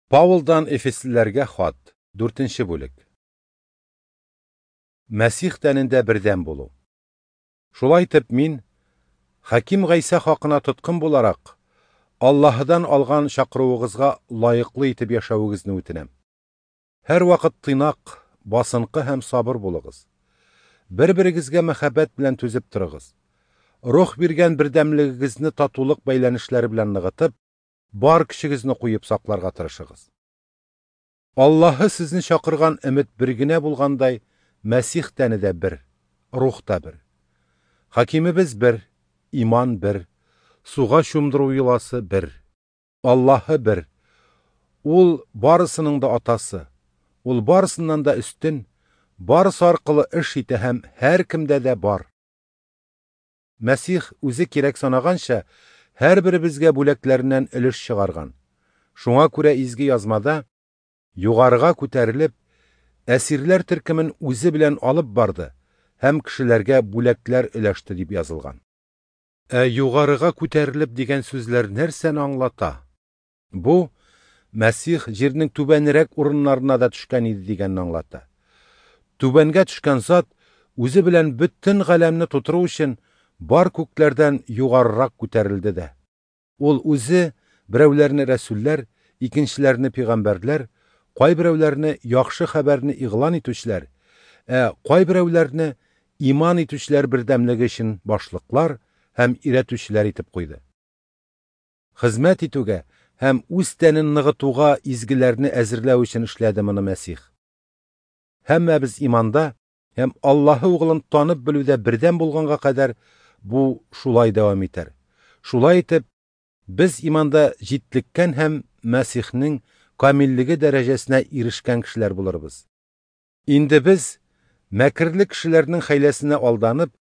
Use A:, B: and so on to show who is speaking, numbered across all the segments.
A: Паулдан Эфеслеләргә хат, 4 бүлек. Мәсих тәнендә бердәм булу. Шулай итеп мин, Хаким Гайсә хакына тоткын буларак, Аллаһыдан алган чакыруыгызга лаеклы итеп яшәвегезне үтенәм. Һәрвакыт тыйнак, басынкы һәм сабыр булыгыз. Бер-берегезгә мәхәббәт белән түзеп торыгыз. Рух биргән бердәмлегегезне татулык бәйләнешләре белән ныгытып, бар көчегезне куеп сакларга тырышыгыз. Аллаһы сезне чакырган өмет бер генә булгандай, Мәсих тәне дә бер, рух та бер. Хакимебез бер, иман бер, суга чумдыру йоласы бер. Аллаһы бер. Ул барысының да атасы. Ул барысыннан да өстен, барысы аркылы эш итә һәм һәркемдә дә бар. Мәсих үзе кирәк санаганча, һәрберебезгә бүләкләреннән өлеш чыгарган. Шуңа күрә изге язмада югарыга күтәрелеп, әсирләр төркемен үзе белән алып барды һәм кешеләргә бүләкләр өләште дип язылган. Ә югарыга күтәрелеп дигән сүзләр нәрсәне аңлата? Бу Мәсих җирнең түбәнрәк урыннарына да төшкән иде дигәнне аңлата. Түбәнгә төшкән зат үзе белән бөтен галәмне тутыру өчен бар күкләрдән югарырак күтәрелде дә. Ул үзе берәүләрне рәсүлләр, икенчеләрне пәйгамбәрләр, кайберәүләрне яхшы хәбәрне игълан итүчеләр, ә кайберәүләрне иман итүчеләр бердәмлеге өчен башлыклар һәм өйрәтүчеләр итеп куйды. Хезмәт итүгә һәм үз тәнен ныгытуга изгеләрне әзерләү өчен эшләде моны Мәсих. Һәммәбез иманда һәм Аллаһы углын танып белүдә бердәм булганга кадәр бу шулай дәвам итәр. Шулай итеп, без иманда җитлеккән һәм Мәсихнең камиллеге дәрәҗәсенә ирешкән кешеләр булырбыз. Инде без мәкерле кешеләрнең хәйләсенә алданып,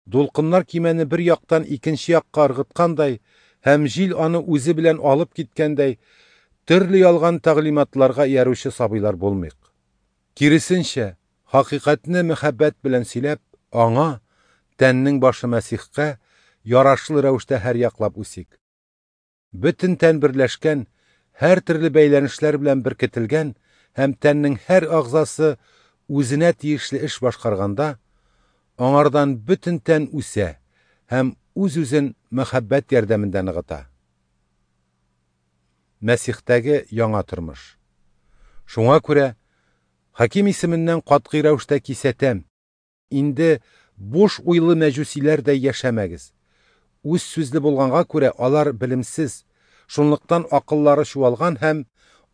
A: дулкыннар кимәне бер яктан икенче якка ыргыткандай һәм җил аны үзе белән алып киткәндәй, төрле ялган тәгълиматларга иярүче сабыйлар булмыйк. Киресенчә, хакыйкатьне мәхәббәт белән сөйләп, аңа, тәннең башы Мәсихкә, ярашлы рәвештә һәр яклап үсик. Бөтен тән берләшкән, һәр төрле бәйләнешләр белән беркетелгән һәм тәннең һәр агзасы үзенә тиешле эш башкарганда, аңардан бөтен тән үсә һәм үз-үзен мәхәббәт ярдәмендә ныгыта. Мәсихтәге яңа тормыш. Шуңа күрә Хаким исеменнән катгый рәвештә кисәтәм. Инде буш уйлы мәҗүсиләрдәй яшәмәгез. Үз сүзле булганга күрә алар белемсез, шунлыктан акыллары чуалган һәм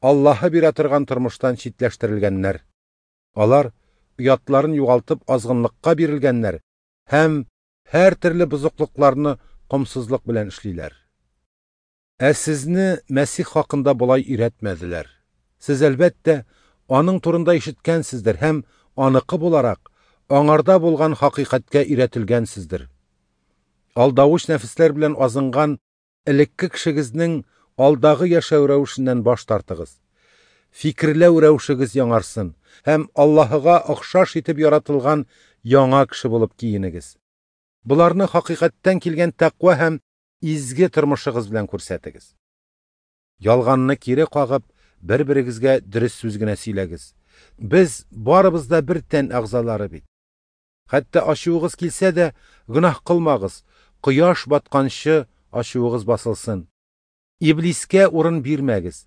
A: Аллаһы бирә торган тормыштан читләштерелгәннәр. Алар оятларын югалтып азгынлыкка бирелгәннәр һәм һәр төрле бозыклыкларны комсызлык белән эшлиләр. Ә сезне Мәсих хакында болай өйрәтмәделәр. Сез әлбәттә аның турында ишеткәнсездер һәм аныкы буларак аңарда булган хакыйкатькә өйрәтелгәнсездер. Алдавыч нәфесләр белән азынган элекке кешегезнең алдагы яшәү рәвешеннән баш тартыгыз. Фикерләү рәвешегез яңарсын һәм Аллаһыга охшаш итеп яратылган яңа кеше булып киенегез. Боларны хакыйкатьтән килгән тәкъва һәм изге тормышыгыз белән күрсәтегез. Ялганны кире кагып, бер-берегезгә дөрес сүз генә сөйләгез. Без барыбыз да бер тән әгъзалары бит. Хәтта ачуыгыз килсә дә, гөнаһ кылмагыз, кояш батканчы ачуыгыз басылсын. Иблискә урын бирмәгез.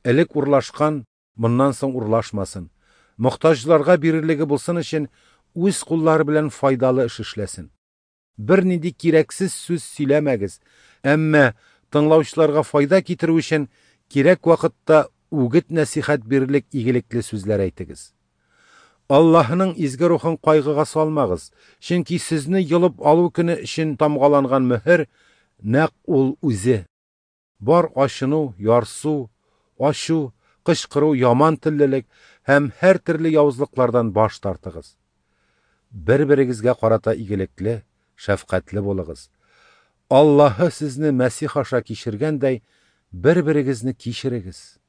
A: Элек урлашкан, моннан соң урлашмасын. Мохтаҗларга бирерлеге булсын өчен үз куллары белән файдалы эш эшләсен. Бернинди кирәксез сүз сөйләмәгез, әмма тыңлаучыларга файда китерү өчен кирәк вакытта үгет нәсихәт бирерлек игелекле сүзләр әйтегез. Аллаһының изге рухын кайгыга салмагыз, чөнки сезне йолып алу көне өчен тамгаланган мөһер нәкъ ул үзе. Бар ачыну, ярсу, ачу, кычкыру, яман теллелек һәм һәр төрле явызлыклардан баш тартыгыз. Бер-берегезгә карата игелекле, шәфкатьле булыгыз. Аллаһы сезне Мәсих аша кичергәндәй, бер-берегезне кичерегез.